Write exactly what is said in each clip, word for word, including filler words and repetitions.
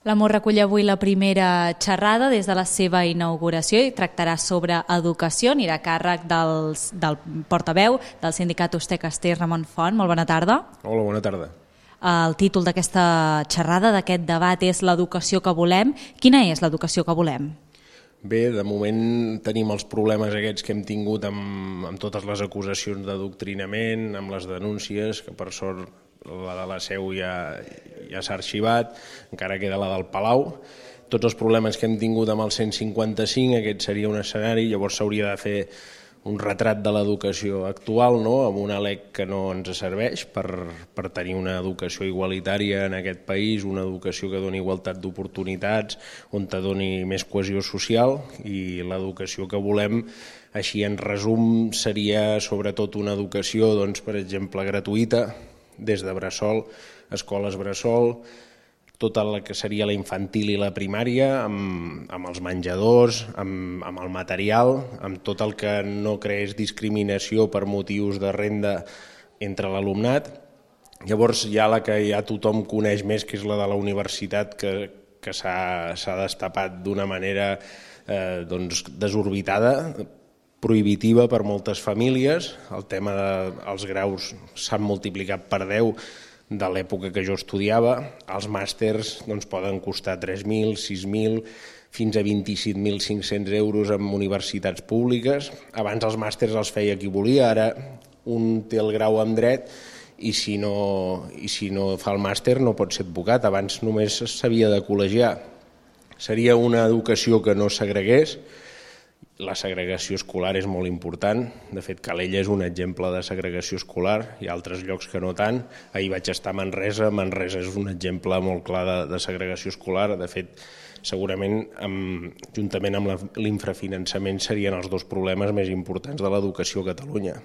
L'Amor recull avui la primera xerrada des de la seva inauguració i tractarà sobre educació. Anirà a càrrec dels, del portaveu del sindicat Usté Caster, Ramon Font. Molt bona tarda. Hola, bona tarda. El títol d'aquesta xerrada, d'aquest debat, és l'educació que volem. Quina és l'educació que volem? Bé, de moment tenim els problemes aquests que hem tingut amb, amb totes les acusacions d'adoctrinament, amb les denúncies, que per sort la de la Seu ja, ja s'ha arxivat, encara queda la del Palau. Tots els problemes que hem tingut amb el cent cinquanta-cinc, aquest seria un escenari, llavors s'hauria de fer un retrat de l'educació actual, no? Amb una L E C que no ens serveix per, per tenir una educació igualitària en aquest país, una educació que doni igualtat d'oportunitats, on te doni més cohesió social, i l'educació que volem, així en resum, seria sobretot una educació, doncs, per exemple, gratuïta, des de bressol, escoles bressol, tota la que seria la infantil i la primària, amb, amb els menjadors, amb, amb el material, amb tot el que no creés discriminació per motius de renda entre l'alumnat. Llavors hi ha la que ja tothom coneix més, que és la de la universitat, que, que s'ha destapat d'una manera eh, doncs, desorbitada, prohibitiva per moltes famílies. El tema dels graus s'han multiplicat per deu de l'època que jo estudiava. Els màsters doncs, poden costar tres mil, sis mil, fins a vint-i-set mil cinc-cents euros en universitats públiques. Abans els màsters els feia qui volia, ara un té el grau en dret i si no, i si no fa el màster no pot ser advocat. Abans només s'havia de col·legiar. Seria una educació que no segregués. La segregació escolar és molt important. De fet, Calella és un exemple de segregació escolar. Hi ha altres llocs que no tant. Ahir vaig estar a Manresa. Manresa és un exemple molt clar de, de segregació escolar. De fet, segurament, amb, juntament amb l'infrafinançament, serien els dos problemes més importants de l'educació a Catalunya.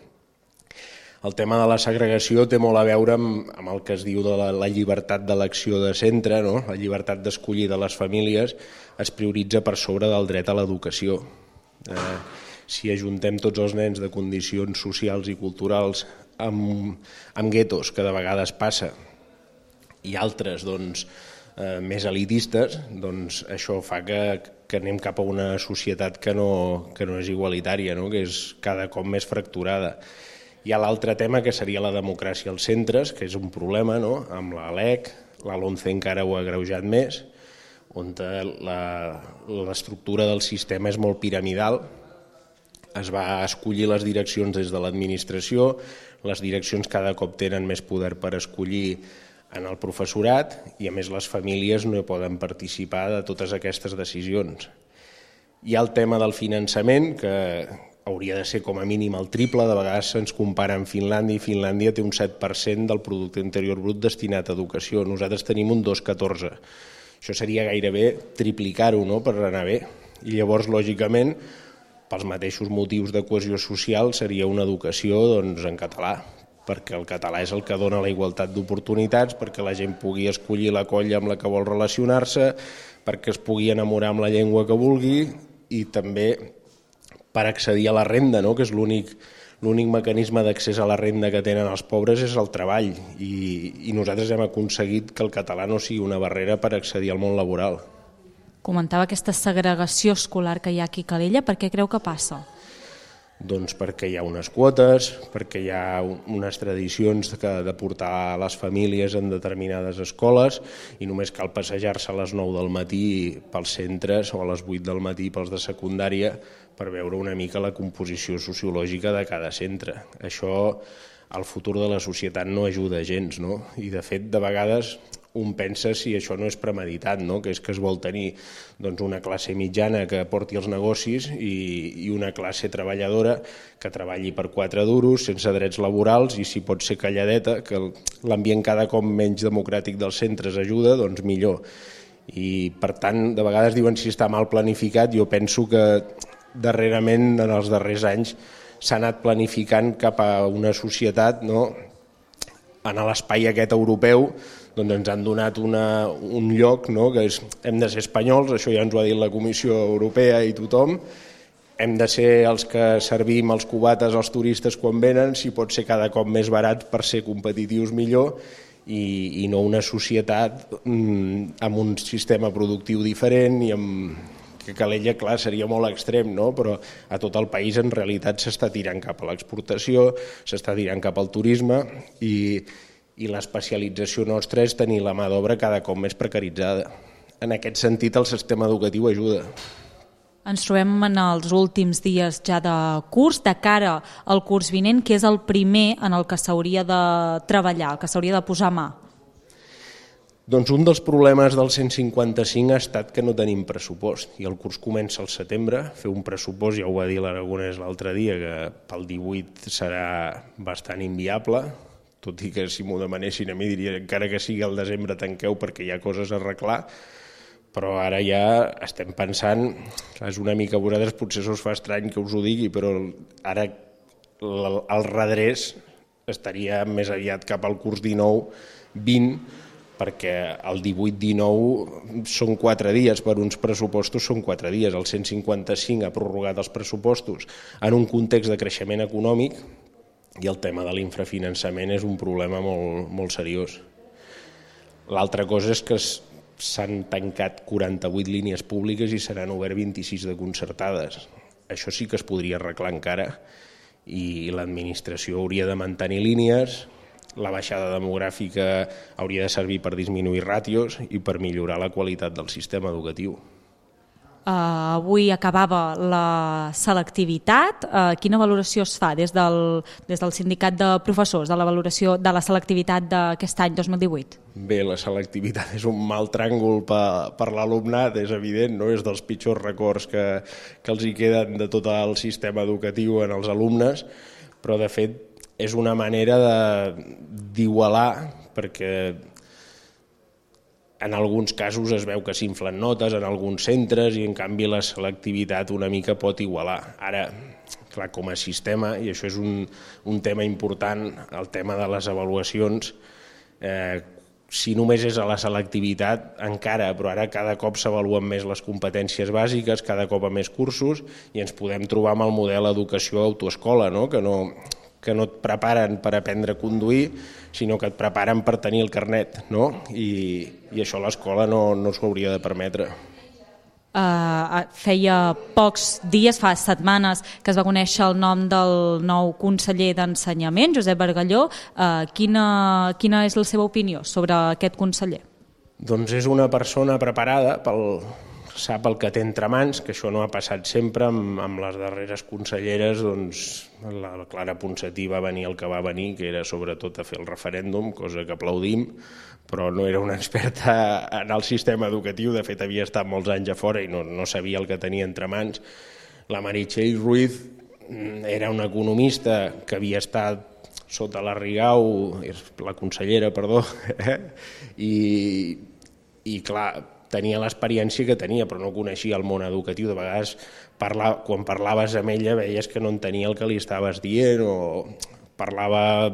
El tema de la segregació té molt a veure amb, amb el que es diu de la, la llibertat d'elecció de centre, no? La llibertat d'escollir de les famílies es prioritza per sobre del dret a l'educació. Eh, si ajuntem tots els nens de condicions socials i culturals amb, amb guetos, que de vegades passa, i altres doncs, eh, més elitistes, doncs això fa que, que anem cap a una societat que no, que no és igualitària, no? Que és cada cop més fracturada. Hi ha l'altre tema, que seria la democràcia als centres, que és un problema, no? Amb la L E C, la LOMCE encara ho ha agreujat més, on l'estructura del sistema és molt piramidal. Es va escollir les direccions des de l'administració, les direccions cada cop tenen més poder per escollir en el professorat i a més les famílies no poden participar de totes aquestes decisions. Hi ha el tema del finançament, que hauria de ser com a mínim el triple. De vegades se'ns compara amb Finlàndia i Finlàndia té un set per cent del producte interior brut destinat a educació. Nosaltres tenim un dos coma catorze. Això seria gairebé triplicar-ho, no?, per anar bé. I llavors, lògicament, pels mateixos motius de cohesió social, seria una educació doncs, en català, perquè el català és el que dona la igualtat d'oportunitats, perquè la gent pugui escollir la colla amb la que vol relacionar-se, perquè es pugui enamorar amb la llengua que vulgui i també per accedir a la renda, no?, que és l'únic l'únic mecanisme d'accés a la renda que tenen els pobres és el treball, i, i nosaltres hem aconseguit que el català no sigui una barrera per accedir al món laboral. Comentava aquesta segregació escolar que hi ha aquí a Calella. Per què creu que passa? Doncs perquè hi ha unes quotes, perquè hi ha unes tradicions de portar les famílies en determinades escoles i només cal passejar-se a les nou del matí pels centres o a les vuit del matí pels de secundària per veure una mica la composició sociològica de cada centre. Això al futur de la societat no ajuda gens, no? I de fet, de vegades un pensa si això no és premeditat, no? Que és que es vol tenir doncs, una classe mitjana que porti els negocis i, i una classe treballadora que treballi per quatre duros, sense drets laborals, i si pot ser calladeta, que l'ambient cada cop menys democràtic dels centres ajuda, doncs millor. I per tant, de vegades diuen si està mal planificat. Jo penso que darrerament, en els darrers anys, s'ha anat planificant cap a una societat, no? En l'espai aquest europeu doncs ens han donat una, un lloc, no? Que és, hem de ser espanyols, això ja ens ho ha dit la Comissió Europea i tothom, hem de ser els que servim els cubates als turistes quan venen, si pot ser cada cop més barat per ser competitius millor, i, i no una societat mm, amb un sistema productiu diferent i amb... que Calella, clar, seria molt extrem, no? Però a tot el país en realitat s'està tirant cap a l'exportació, s'està tirant cap al turisme i, i l'especialització nostra és tenir la mà d'obra cada cop més precaritzada. En aquest sentit el sistema educatiu ajuda. Ens trobem en els últims dies ja de curs, de cara al curs vinent, que és el primer en el que s'hauria de treballar, el que s'hauria de posar mà. Doncs un dels problemes del cent cinquanta cinc ha estat que no tenim pressupost i el curs comença al setembre. Fer un pressupost, ja ho va dir l'Aragonès l'altre dia, que pel divuit serà bastant inviable, tot i que si m'ho demanessin a mi diria encara que sigui al desembre tanqueu perquè hi ha coses a arreglar, però ara ja estem pensant, és una mica, a vosaltres potser us fa estrany que us ho digui, però ara el redrés estaria més aviat cap al curs dinou vint, perquè el divuit dinou són quatre dies, per uns pressupostos són quatre dies. El cent cinquanta cinc ha prorrogat els pressupostos en un context de creixement econòmic i el tema de l'infrafinançament és un problema molt, molt seriós. L'altra cosa és que s'han tancat quaranta-vuit línies públiques i se n'han obert vint-i-sis de concertades. Això sí que es podria arreglar encara i l'administració hauria de mantenir línies. La baixada demogràfica hauria de servir per disminuir ràtios i per millorar la qualitat del sistema educatiu. Uh, avui acabava la selectivitat. Uh, quina valoració es fa des del, des del sindicat de professors de la valoració de la selectivitat d'aquest any dos mil divuit? Bé, la selectivitat és un mal tràngol per, per l'alumnat, és evident, no? És dels pitjors records que, que els hi queden de tot el sistema educatiu en els alumnes, però de fet és una manera d'igualar, perquè en alguns casos es veu que s'inflen notes en alguns centres i en canvi la selectivitat una mica pot igualar. Ara, clar, com a sistema, i això és un, un tema important, el tema de les avaluacions, eh, si només és a la selectivitat encara, però ara cada cop s'avaluen més les competències bàsiques, cada cop a més cursos, i ens podem trobar amb el model educació autoescola, no? que no... que no et preparen per aprendre a conduir, sinó que et preparen per tenir el carnet, no? I, i això l'escola no, no s'ho hauria de permetre. Uh, feia pocs dies, fa setmanes, que es va conèixer el nom del nou conseller d'Ensenyament, Josep Bargalló. Uh, quina, quina és la seva opinió sobre aquest conseller? Doncs és una persona preparada pel... sap el que té entre mans, que això no ha passat sempre amb, amb les darreres conselleres, doncs la Clara Ponsatí va venir el que va venir, que era sobretot a fer el referèndum, cosa que aplaudim, però no era una experta en el sistema educatiu, de fet havia estat molts anys a fora i no, no sabia el que tenia entre mans. La Meritxell Ruiz era una economista que havia estat sota la Rigau, la consellera, perdó, i, i clar, tenia l'experiència que tenia, però no coneixia el món educatiu. De vegades, parla, quan parlaves amb ella, veies que no entenia el que li estaves dient o parlava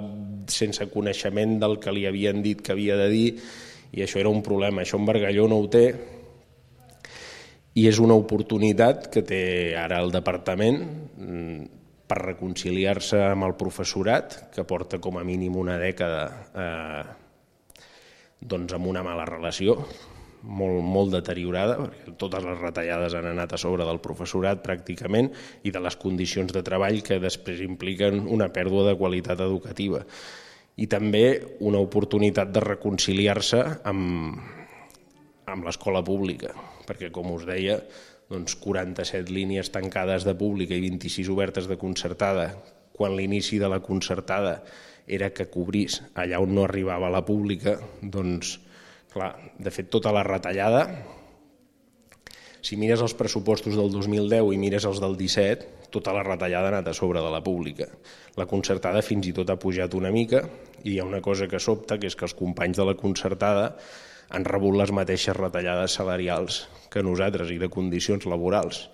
sense coneixement del que li havien dit que havia de dir, i això era un problema. Això en Bargalló no ho té, i és una oportunitat que té ara el departament per reconciliar-se amb el professorat, que porta com a mínim una dècada eh, doncs amb una mala relació, molt, molt deteriorada, perquè totes les retallades han anat a sobre del professorat pràcticament i de les condicions de treball que després impliquen una pèrdua de qualitat educativa. I també una oportunitat de reconciliar-se amb, amb l'escola pública, perquè com us deia, doncs quaranta-set línies tancades de pública i vint-i-sis obertes de concertada, quan l'inici de la concertada era que cobrís allà on no arribava la pública, doncs clar, de fet, tota la retallada, si mires els pressupostos del dos mil deu i mires els del disset, tota la retallada ha anat a sobre de la pública. La concertada fins i tot ha pujat una mica i hi ha una cosa que sobta, que és que els companys de la concertada han rebut les mateixes retallades salarials que nosaltres i de condicions laborals.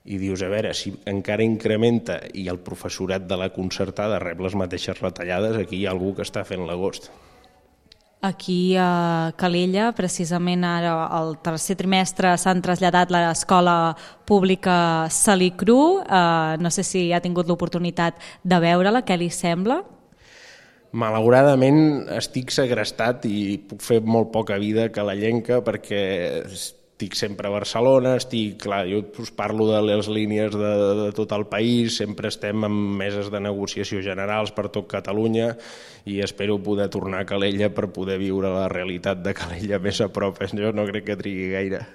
I dius, a veure, si encara incrementa i el professorat de la concertada rep les mateixes retallades, aquí hi ha algú que està fent l'agost. Aquí a Calella, precisament ara al tercer trimestre s'han traslladat l'escola pública Salicru. Uh, no sé si ha tingut l'oportunitat de veure-la, què li sembla? Malauradament estic segrestat i puc fer molt poca vida calellenca perquè estic sempre a Barcelona, estic, clar, jo us parlo de les línies de, de tot el país, sempre estem en meses de negociació generals per tot Catalunya i espero poder tornar a Calella per poder viure la realitat de Calella més a prop. Jo no crec que trigui gaire.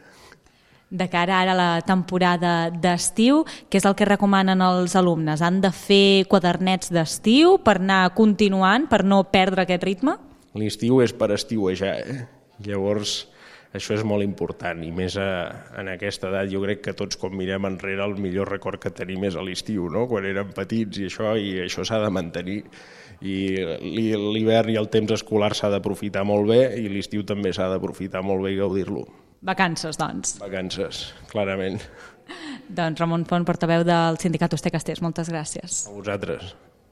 De cara ara a la temporada d'estiu, què és el que recomanen els alumnes? Han de fer quadernets d'estiu per anar continuant, per no perdre aquest ritme? L'estiu és per estiuejar, eh? Llavors, això és molt important, i més a, en aquesta edat. Jo crec que tots, quan mirem enrere, el millor record que tenim és a l'estiu, no? Quan érem petits i això, i això s'ha de mantenir. I l'hivern i el temps escolar s'ha d'aprofitar molt bé i l'estiu també s'ha d'aprofitar molt bé i gaudir-lo. Vacances, doncs. Vacances, clarament. Doncs Ramon Font, portaveu del sindicat Hoster Castellers, moltes gràcies. A vosaltres.